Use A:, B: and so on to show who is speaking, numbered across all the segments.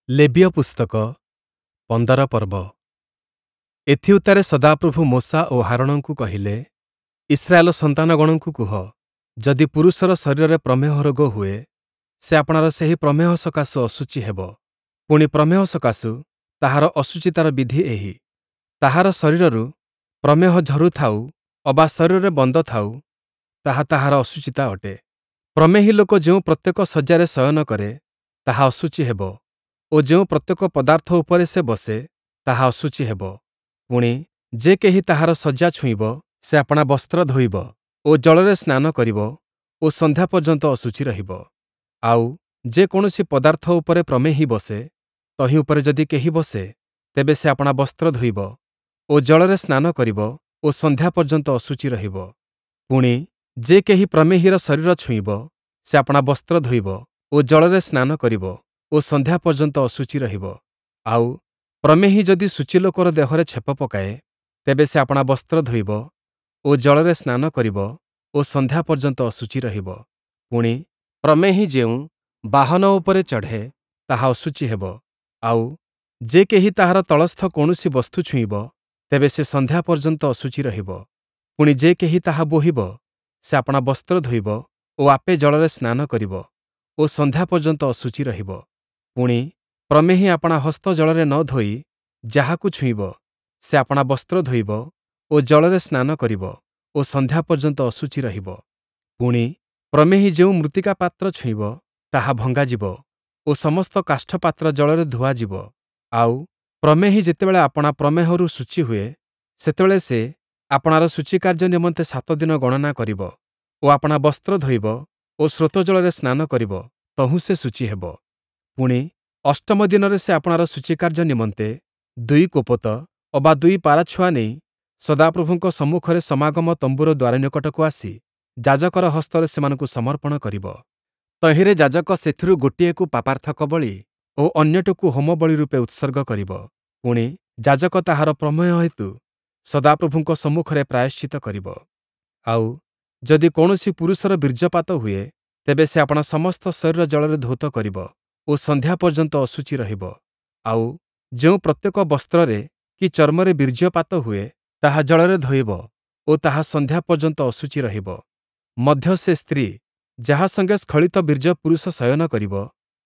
A: ଲେବୀୟ ପୁସ୍ତକ, 15 ପର୍ବ। ଏଥିଉତ୍ତାରେ ସଦାପ୍ରଭୁ ମୋଶା ଓ ହାରୋଣଙ୍କୁ କହିଲେ, ଇସ୍ରାଏଲ ସନ୍ତାନଗଣଙ୍କୁ କୁହ, ଯଦି ପୁରୁଷର ଶରୀରରେ ପ୍ରମେହ ରୋଗ ହୁଏ, ସେ ଆପଣାର ସେହି ପ୍ରମେହ ସକାଶୁ ଅଶୁଚି ହେବ। ପୁଣି ପ୍ରମେହ ସକାଶୁ ତାହାର ଅଶୁଚିତାର ବିଧି ଏହି: ତାହାର ଶରୀରରୁ ପ୍ରମେହ ଝରୁଥାଉ ଅବା ଶରୀରରେ ବନ୍ଦ ଥାଉ, ତାହା ତାହାର ଅଶୁଚିତା ଅଟେ। ପ୍ରମେହୀ ଲୋକ ଯେଉଁ ପ୍ରତ୍ୟେକ ଶଯ୍ୟାରେ ଶୟନ କରେ, ତାହା ଅଶୁଚି ହେବ ଓ ଯେଉଁ ପ୍ରତ୍ୟେକ ପଦାର୍ଥ ଉପରେ ସେ ବସେ, ତାହା ଅଶୁଚି ହେବ। ପୁଣି, ଯେ କେହି ତାହାର ଶଯ୍ୟା ଛୁଇଁବ, ସେ ଆପଣା ବସ୍ତ୍ର ଧୋଇବ ଓ ଜଳରେ ସ୍ନାନ କରିବ ଓ ସନ୍ଧ୍ୟା ପର୍ଯ୍ୟନ୍ତ ଅଶୁଚି ରହିବ। ଆଉ, ଯେ କୌଣସି ପଦାର୍ଥ ଉପରେ ପ୍ରମେହୀ ବସେ, ତହିଁ ଉପରେ ଯଦି କେହି ବସେ, ତେବେ ସେ ଆପଣା ବସ୍ତ୍ର ଧୋଇବ ଓ ଜଳରେ ସ୍ନାନ କରିବ ଓ ସନ୍ଧ୍ୟା ପର୍ଯ୍ୟନ୍ତ ଅଶୁଚି ରହିବ। ପୁଣି, ଯେ କେହି ପ୍ରମେହୀର ଶରୀର ଛୁଇଁବ, ସେ ଆପଣା ବସ୍ତ୍ର ଧୋଇବ ଓ ଜଳରେ ସ୍ନାନ କରିବ ଓ ସନ୍ଧ୍ୟା ପର୍ଯ୍ୟନ୍ତ ଅଶୁଚି ରହିବ। ଆଉ, ପ୍ରମେହୀ ଯଦି ଶୁଚି ଲୋକର ଦେହରେ ଛେପ ପକାଏ, ତେବେ ସେ ଆପଣା ବସ୍ତ୍ର ଧୋଇବ ଓ ଜଳରେ ସ୍ନାନ କରିବ ଓ ସନ୍ଧ୍ୟା ପର୍ଯ୍ୟନ୍ତ ଅଶୁଚି ରହିବ। ପୁଣି, ପ୍ରମେହୀ ଯେଉଁ ବାହନ ଉପରେ ଚଢ଼େ, ତାହା ଅଶୁଚି ହେବ। ଆଉ, ଯେ କେହି ତାହାର ତଳସ୍ଥ କୌଣସି ବସ୍ତୁ ଛୁଇଁବ, ତେବେ ସେ ସନ୍ଧ୍ୟା ପର୍ଯ୍ୟନ୍ତ ଅଶୁଚି ରହିବ। ପୁଣି, ଯେ କେହି ତାହା ବୋହିବ, ସେ ଆପଣା ବସ୍ତ୍ର ଧୋଇବ ଓ ଆପେ ଜଳରେ ସ୍ନାନ କରିବ ଓ ସନ୍ଧ୍ୟା ପର୍ଯ୍ୟନ୍ତ ଅଶୁଚି ରହିବ। ପୁଣି, ପ୍ରମେହୀ ଆପଣା ହସ୍ତ ଜଳରେ ନ ଧୋଇ ଯାହାକୁ ଛୁଇଁବ, ସେ ଆପଣା ବସ୍ତ୍ର ଧୋଇବ ଓ ଜଳରେ ସ୍ନାନ କରିବ ଓ ସନ୍ଧ୍ୟା ପର୍ଯ୍ୟନ୍ତ ଅଶୁଚି ରହିବ। ପୁଣି, ପ୍ରମେହୀ ଯେଉଁ ମୃତ୍ତିକା ପାତ୍ର ଛୁଇଁବ, ତାହା ଭଙ୍ଗାଯିବ ଓ ସମସ୍ତ କାଷ୍ଠପାତ୍ର ଜଳରେ ଧୁଆଯିବ। ଆଉ, ପ୍ରମେହୀ ଯେତେବେଳେ ଆପଣା ପ୍ରମେହରୁ ଶୁଚି ହୁଏ, ସେତେବେଳେ ସେ ଆପଣାର ଶୁଚିକାର୍ଯ୍ୟ ନିମନ୍ତେ ସାତ ଦିନ ଗଣନା କରିବ ଓ ଆପଣା ବସ୍ତ୍ର ଧୋଇବ ଓ ସ୍ରୋତ ଜଳରେ ସ୍ନାନ କରିବ, ତହୁଁ ସେ ଶୁଚି ହେବ। ପୁଣି, ଅଷ୍ଟମ ଦିନରେ ସେ ଆପଣାର ଶୁଚିକାର୍ଯ୍ୟ ନିମନ୍ତେ ଦୁଇ କୋପତ ଅବା ଦୁଇ ପାରାଛୁଆ ନେଇ ସଦାପ୍ରଭୁଙ୍କ ସମ୍ମୁଖରେ ସମାଗମ ତମ୍ବୁର ଦ୍ୱାର ନିକଟକୁ ଆସି ଯାଜକର ହସ୍ତରେ ସେମାନଙ୍କୁ ସମର୍ପଣ କରିବ। ତହିଁରେ ଯାଜକ ସେଥିରୁ ଗୋଟିଏକୁ ପାପାର୍ଥକ ବଳି ଓ ଅନ୍ୟଟିକୁ ହୋମବଳି ରୂପେ ଉତ୍ସର୍ଗ କରିବ। ପୁଣି, ଯାଜକ ତାହାର ପ୍ରମେହ ହେତୁ ସଦାପ୍ରଭୁଙ୍କ ସମ୍ମୁଖରେ ପ୍ରାୟଶ୍ଚିତ୍ତ କରିବ। ଆଉ, ଯଦି କୌଣସି ପୁରୁଷର ବୀର୍ଯ୍ୟପାତ ହୁଏ, ତେବେ ସେ ଆପଣା ସମସ୍ତ ଶରୀର ଜଳରେ ଧୌତ କରିବ ଓ ସନ୍ଧ୍ୟା ପର୍ଯ୍ୟନ୍ତ ଅଶୁଚି ରହିବ। ଆଉ, ଯେଉଁ ପ୍ରତ୍ୟେକ ବସ୍ତ୍ରରେ କି ଚର୍ମରେ ବୀର୍ଯ୍ୟପାତ ହୁଏ, ତାହା ଜଳରେ ଧୋଇବ ଓ ତାହା ସନ୍ଧ୍ୟା ପର୍ଯ୍ୟନ୍ତ ଅଶୁଚି ରହିବ। ମଧ୍ୟ ସେ ସ୍ତ୍ରୀ, ଯାହା ସଙ୍ଗେ ସ୍ଖଳିତ ବୀର୍ଯ୍ୟ ପୁରୁଷ ଶୟନ କରିବ,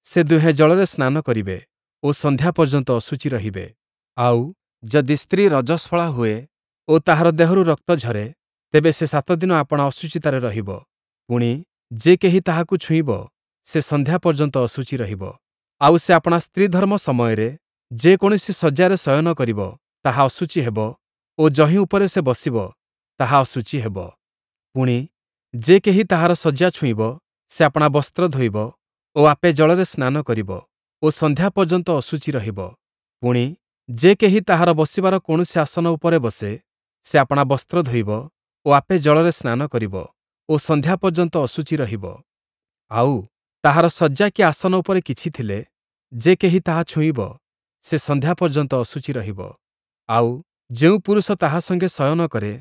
A: ସେ ଦୁହେଁ ଜଳରେ ସ୍ନାନ କରିବେ ଓ ସନ୍ଧ୍ୟା ପର୍ଯ୍ୟନ୍ତ ଅଶୁଚି ରହିବେ। ଆଉ, ଯଦି ସ୍ତ୍ରୀ ରଜସ୍ୱଳା ହୁଏ ଓ ତାହାର ଦେହରୁ ରକ୍ତ ଝରେ, ତେବେ ସେ ସାତ ଦିନ ଆପଣା ଅଶୁଚିତାରେ ରହିବ। ପୁଣି, ଯେ କେହି ତାହାକୁ ଛୁଇଁବ, ସେ ସନ୍ଧ୍ୟା ପର୍ଯ୍ୟନ୍ତ ଅଶୁଚି ରହିବ। ଆଉ, ସେ ଆପଣା ସ୍ତ୍ରୀଧର୍ମ ସମୟରେ ଯେ କୌଣସି ଶଯ୍ୟାରେ ଶୟନ କରିବ, ତାହା ଅଶୁଚି ହେବ ଓ ଯହିଁ ଉପରେ ସେ ବସିବ, ତାହା ଅଶୁଚି ହେବ। ପୁଣି, ଯେ କେହି ତାହାର ଶଯ୍ୟା ଛୁଇଁବ, ସେ ଆପଣା ବସ୍ତ୍ର ଧୋଇବ ଓ ଆପେ ଜଳରେ ସ୍ନାନ କରିବ ଓ ସନ୍ଧ୍ୟା ପର୍ଯ୍ୟନ୍ତ ଅଶୁଚି ରହିବ। ପୁଣି, ଯେ କେହି ତାହାର ବସିବାର କୌଣସି ଆସନ ଉପରେ ବସେ, ସେ ଆପଣା ବସ୍ତ୍ର ଧୋଇବ ଓ ଆପେ ଜଳରେ ସ୍ନାନ କରିବ ଓ ସନ୍ଧ୍ୟା ପର୍ଯ୍ୟନ୍ତ ଅଶୁଚି ରହିବ। ଆଉ, ତାହାର ଶଯ୍ୟା କି ଆସନ ଉପରେ କିଛି ଥିଲେ, ଯେ କେହି ତାହା ଛୁଇଁବ, ସେ ସନ୍ଧ୍ୟା ପର୍ଯ୍ୟନ୍ତ ଅଶୁଚି ରହିବ। ଆଉ, ଯେଉଁ ପୁରୁଷ ତାହା ସଙ୍ଗେ ଶୟନ କରେ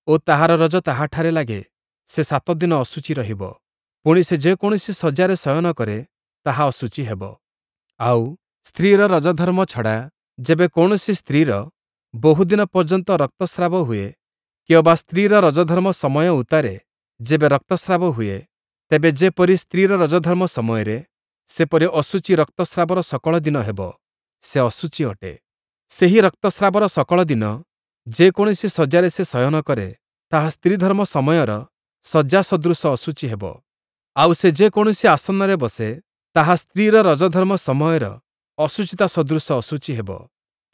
A: ଓ ତାହାର ରଜ ତାହାଠାରେ ଲାଗେ, ସେ ସାତ ଦିନ ଅଶୁଚି ରହିବ। ପୁଣି, ସେ ଯେକୌଣସି ଶଯ୍ୟାରେ ଶୟନ କରେ, ତାହା ଅଶୁଚି ହେବ। ଆଉ, ସ୍ତ୍ରୀର ରଜଧର୍ମ ଛଡ଼ା ଯେବେ କୌଣସି ସ୍ତ୍ରୀର ବହୁଦିନ ପର୍ଯ୍ୟନ୍ତ ରକ୍ତସ୍ରାବ ହୁଏ, କି ଅବା ସ୍ତ୍ରୀର ରଜଧର୍ମ ସମୟ ଉତ୍ତାରେ ଯେବେ ରକ୍ତସ୍ରାବ ହୁଏ, ତେବେ ଯେପରି ସ୍ତ୍ରୀର ରଜଧର୍ମ ସମୟରେ, ସେପରି ଅଶୁଚି ରକ୍ତସ୍ରାବର ସକଳ ଦିନ ହେବ, ସେ ଅଶୁଚି ଅଟେ। ସେହି ରକ୍ତସ୍ରାବର ସକଳ ଦିନ ଯେକୌଣସି ଶଯ୍ୟାରେ ସେ ଶୟନ କରେ, ତାହା ସ୍ତ୍ରୀଧର୍ମ ସମୟର ଶଯ୍ୟା ସଦୃଶ ଅଶୁଚି ହେବ। ଆଉ, ସେ ଯେକୌଣସି ଆସନରେ ବସେ, ତାହା ସ୍ତ୍ରୀର ରଜଧର୍ମ ସମୟର ଅଶୁଚିତା ସଦୃଶ ଅଶୁଚି ହେବ।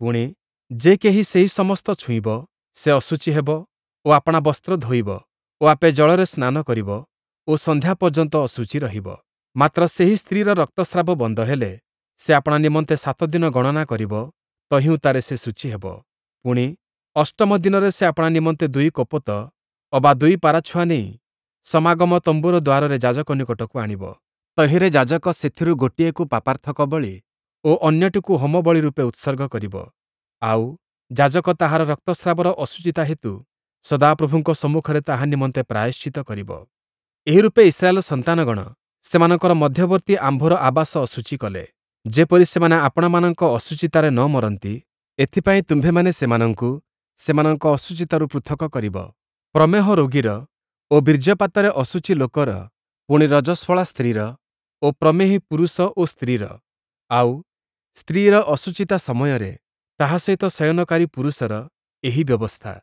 A: ପୁଣି, ଯେ କେହି ସେହି ସମସ୍ତ ଛୁଇଁବ, ସେ ଅଶୁଚି ହେବ ଓ ଆପଣା ବସ୍ତ୍ର ଧୋଇବ ଓ ଆପେ ଜଳରେ ସ୍ନାନ କରିବ ଓ ସନ୍ଧ୍ୟା ପର୍ଯ୍ୟନ୍ତ ଅଶୁଚି ରହିବ। ମାତ୍ର ସେହି ସ୍ତ୍ରୀର ରକ୍ତସ୍ରାବ ବନ୍ଦ ହେଲେ, ସେ ଆପଣା ନିମନ୍ତେ ସାତ ଦିନ ଗଣନା କରିବ, ତହିଁ ଉତ୍ତାରେ ସେ ଶୁଚି ହେବ। ପୁଣି, ଅଷ୍ଟମ ଦିନରେ ସେ ଆପଣା ନିମନ୍ତେ ଦୁଇ କୋପତ ଅବା ଦୁଇ ପାରାଛୁଆ ନେଇ ସମାଗମ ତମ୍ବୁର ଦ୍ୱାରରେ ଯାଜକ ନିକଟକୁ ଆଣିବ। ତହିଁରେ ଯାଜକ ସେଥିରୁ ଗୋଟିଏକୁ ପାପାର୍ଥକ ବଳି ଓ ଅନ୍ୟଟିକୁ ହୋମବଳି ରୂପେ ଉତ୍ସର୍ଗ କରିବ। ଆଉ, ଯାଜକ ତାହାର ରକ୍ତସ୍ରାବର ଅଶୁଚିତା ହେତୁ ସଦାପ୍ରଭୁଙ୍କ ସମ୍ମୁଖରେ ତାହା ନିମନ୍ତେ ପ୍ରାୟଶ୍ଚିତ୍ତ କରିବ। ଏହି ରୂପେ ଇସ୍ରାଏଲ ସନ୍ତାନଗଣ ସେମାନଙ୍କର ମଧ୍ୟବର୍ତ୍ତୀ ଆମ୍ଭର ଆବାସ ଅଶୁଚି କଲେ। ଯେପରି ସେମାନେ ଆପଣାମାନଙ୍କ ଅଶୁଚିତାରେ ନ ମରନ୍ତି, ଏଥିପାଇଁ ତୁମ୍ଭେମାନେ ସେମାନଙ୍କୁ ସେମାନଙ୍କ ଅଶୁଚିତାରୁ ପୃଥକ କରିବ। ପ୍ରମେହ ରୋଗୀର ଓ ବୀର୍ଯ୍ୟପାତରେ ଅଶୁଚି ଲୋକର, ପୁଣି ରଜସ୍ୱଳା ସ୍ତ୍ରୀର ଓ ପ୍ରମେହୀ ପୁରୁଷ ଓ ସ୍ତ୍ରୀର, ଆଉ, ସ୍ତ୍ରୀର ଅଶୁଚିତା ସମୟରେ ତାହା ସହିତ ଶୟନକାରୀ ପୁରୁଷର ଏହି ବ୍ୟବସ୍ଥା।